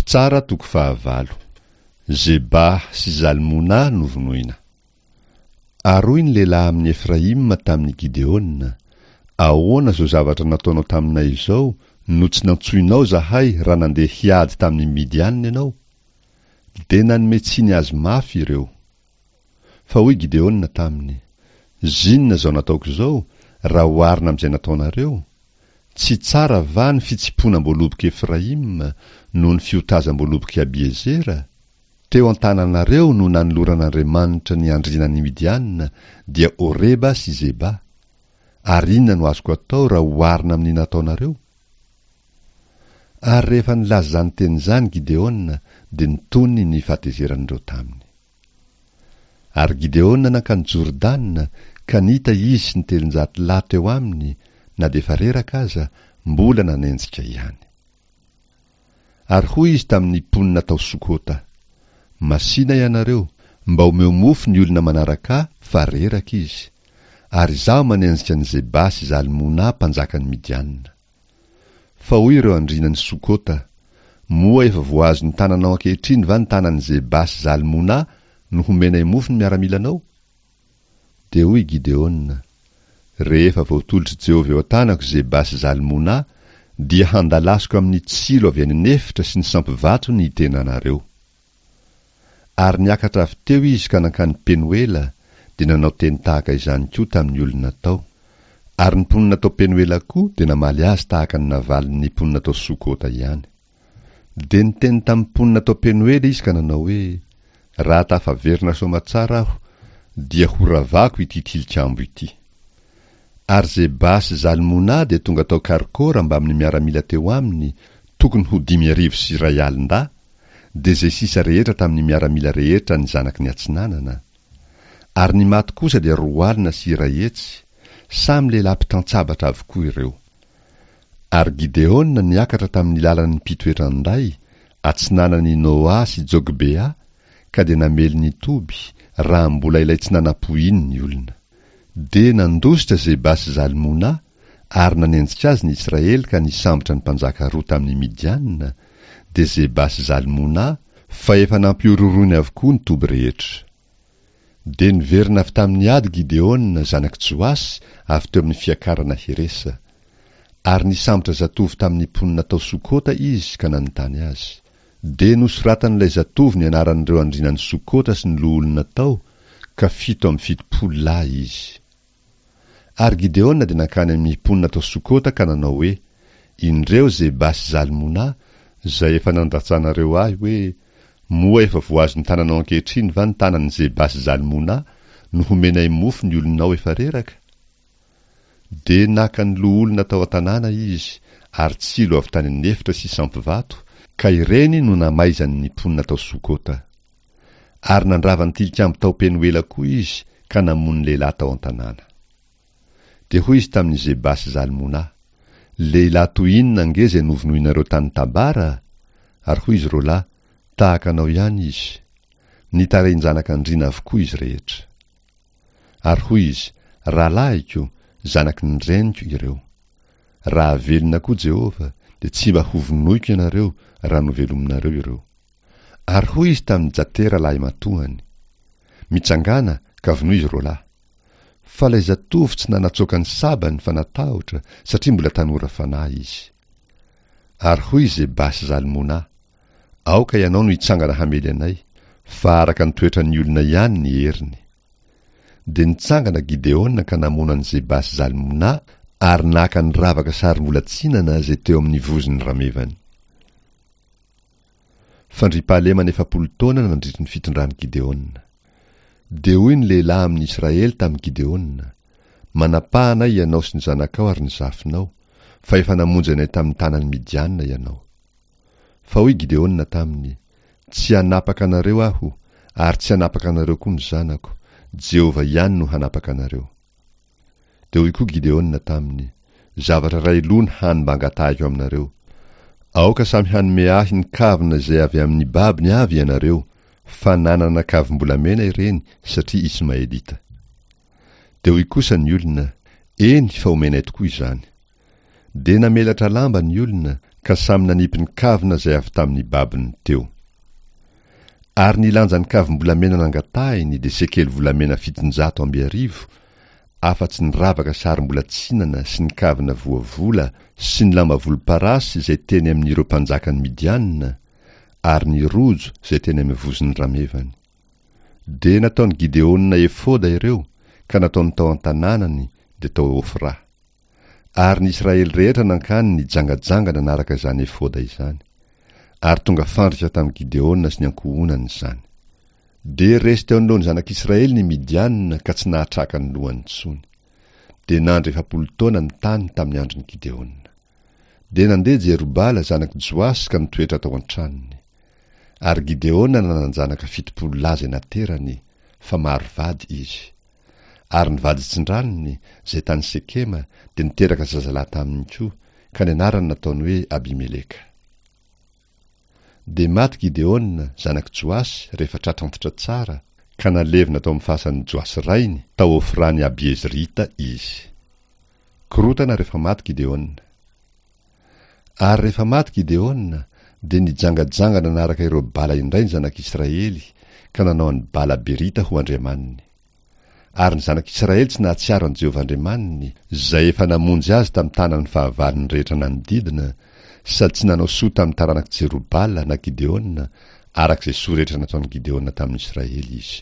Mpitsara toko fahavalo. Zeba sy Zalmona novonoina. Ary hoy ny lehilahy amin'i Efraima tamin'i Gideona, Ahoana izao zavatra nataonao taminay izao no tsy nantsoinao izahay raha nandeha hiady tamin'ny Midianina ianao? Dia nanome tsiny azy mafy ireo. Fa hoy Gideona taminy, Zinona izao nataoko izao, raha oharina amin'izay nataonareo? Tsy tsara va ny fitsimponam-boalobok'i Efraima noho ny fiotazam-boalobok'i Abiezera? Teo an-tananareo no nanoloran'Andriamanitra ny andrianan'i Midiana, dia Oreba sy Zeba. Ary inona no azoko atao raha oharina amin'ny nataonareo? Ary rehefa nilaza izany teny izany Gideona, dia nitony ny fahatezeran'ireo taminy. Ary Gideona nankany Jordana, ka nita izy sy ny 300 lahy teo aminy, na dia efa reraka aza, mbola nanenjika ihany. Ary hoy izy tamin'ny mponina tao Sokota, Masìna ianareo, mba omeo mofo ny olona manaraka ahy, fa reraka izy. Ary izaho manenjika an'i Zeba sy Zalmona mpanjakan'i Midiana. Fa hoy ireo andrianan'i Sokota, Moa efa voahazon'ny tananao ankehitriny va ny tanan'i Zeba sy Zalmona no homenay mofo ny miaramilanao? Dia hoy Gideona, Rehefa voatolotr'i Jehovah eo an-tanako Zeba sy Zalmona, dia handalasiko amin'ny tsilo avy any an'efitra sy ny sampy vato ny tenanareo. Ary niakatra avy teo izy ka nankany Penoela, dia nanao teny tahaka izany koa tamin'ny olona tao. Ary ny mponina tao Penoela koa dia namaly azy tahaka ny navalin'ny mponina tao Sokota ihany. Dia niteny tamin'ny mponina tao Penoela izy ka nanao hoe, Raha tafaverina soamatsara aho, dia horavako ity tilikambo ity. Ary Zeba sy Zalmona dia tonga tao Karkora mbamin'ny miaramila teo aminy, tokony ho 1005 dahy, dia izay sisa rehetra tamin'ny miaramila rehetra an'ny zanaky ny atsinanana. Ary ny maty kosa dia 120, samy lehilahy mpitan-tsabatra avokoa ireo. Ary Gideona niakatra tamin'ny lalan'ny mpitoetra an-day, atsinanan'i Noa sy Jogbea, ka dia namely ny toby, raha mbola ilay tsy nanam-po iny ny olona. Dia nandositra Zeba sy Zalmona, ary nanenjika azy ny Israely ka nisambotra ny mpanjaka roa tamin'ny Midiana, dia Zeba sy Zalmona, fa efa nampihorohoroiny avokoa ny toby rehetra. Dia niverina avy tamin'ny ady Gideona zanak'i Joasy avy teo amin'ny fiakarana Heresa. Ary nisambotra zatovo tamin'ny mponina tao Sokota izy ka nanontany azy. Dia nosoratan'ilay zatovo ny anaran'ireo andrianan'i Sokota sy ny loholona tao, ka 77 lahy izy. Ary Gideona dia nankany amin'ny mponina tao Sokota ka nanao hoe, Indreo Zeba sy Zalmona, izay efa nandatsanareo ahy hoe, Moa efa voahazon'ny tananao ankehitriny va ny tanan'i Zeba sy Zalmona, no homenay mofo ny olonao efa reraka? Dia naka ny loholona tao an-tanàna izy, ary tsilo avy tany an'efitra sy sampy vato, ka ireny no namaizany ny mponina tao Sokota. Ary nandrava ny tilikambo tao Penoela koa izy ka namono lehilahy tao an-tanàna. Dia hoy izy tamin'i Zeba sy Zalmona, Lehilahy toy inona ange izay novonoinareo tany Tabara? Ary hoy izy roalahy, Tahaka anao ihany izy. Nitarehin-janak'andriana avokoa izy rehetra. Ary hoy izy, Rahalahiko, zanaky ny reniko ireo. Raha velona koa Jehovah, dia tsy mba hovonoiko ianareo raha novelominareo ireo. Ary hoy izy tamin'i Jatera lahimatoany, Mitsangàna ka vonoy izy roalahy. Fa ilay zatovo tsy nanatsoaka ny sabany fa natahotra, satria mbola tanora fanahy izy. Ary hoy i Zeba sy Zalmona, Aoka ianao no hitsangana hamely anay, fa araka ny toetran'ny olona ihany ny heriny. Dia nitsangana Gideona ka namono an'i Zeba sy Zalmona ary naka ny ravaka sarim-bolatsinana izay teo amin'ny vozon'ny ramevany. Fandriampahalemana 40 taona nandritry ny fitondran'i Gideona. Dia hoy ny lehilahy amin'i Israely tamin'i Gideona, Manapaha anay ianao sy ny zanakao ary ny zafinao, fa efa namonjy anay tamin'ny tanan'i Midiana ianao. Fa hoy Gideona taminy, Tsy hanapaka anareo aho, ary tsy hanapaka anareo koa ny zanako, Jehovah ihany no hanapaka anareo. Dia hoy koa Gideona taminy, Zavatra iray loha ny hany mba angatahiko aminareo. Aoka samy hanome ahy ny kavina izay avy amin'ny babony avy ianareo, fa nanana kavim-bolamena ireny satria Ismaelita. Dia hoy kosa ny olona, Eny, fa homenay tokoa izany. Dia namelatra lamba ny olona, ka samy nanipy ny kavina izay avy tamin'ny babony teo. Ary ny lanjan'ny kavim-bolamena nangatahiny dia sekely volamena 700 amby arivo, afa-tsy ny ravaka sarim-bolatsinana sy ny kavina voavola sy ny lamba volomparasy izay teny amin'ireo mpanjakan'i Midianina, ary ny rojo izay teny amin'ny vozon'ny ramevany. Dia nataon'i Gideona efoda ireo, ka nataony tao an-tanànany, dia tao Ofra. Ary ny Israely rehetra nankany nijangajanga nanaraka izany efoda izany. Ary tonga fandrika tamin'i Gideona sy ny ankohonany izany. Dia resy teo anoloan'ny zanak'Israely ny Midianina ka tsy nahatraka ny lohany intsony. Dia nandry 40 taona ny tany tamin'ny andron'i Gideona. Dia nandeha Jerobala zanak'i Joasy ka nitoetra tao an-tranony. Ary Gideona nanan-janaka 70 lahy izay naterany, fa maro vady izy. Ary ny vaditsindranony, izay tany Sekema, dia niteraka zazalahy taminy koa, ka ny anarany nataony hoe Abimeleka. Dia maty Gideona, zanak'i Joasy, rehefa tratra antitra tsara, ka nalevina tao amin'ny fasan'i Joasy rainy, tao Ofran'i Abiezrita izy. Korontana rehefa maty Gideona. Ary rehefa maty Gideona, dia nijangajanga nanaraka ireo Bala indray ny zanak'Israely, ka nanao an'i Bala Berita ho andriamaniny. Ary ny zanak'Israely tsy nahatsiaro an'i Jehovah Andriamaniny, izay efa namonjy azy tamin'ny tanan'ny fahavalony rehetra nanodidina, sady tsy nanao soa tamin'ny taranak'i Jerobala na Gideona, araka izay soa rehetra nataon'i Gideona tamin'Israely izy.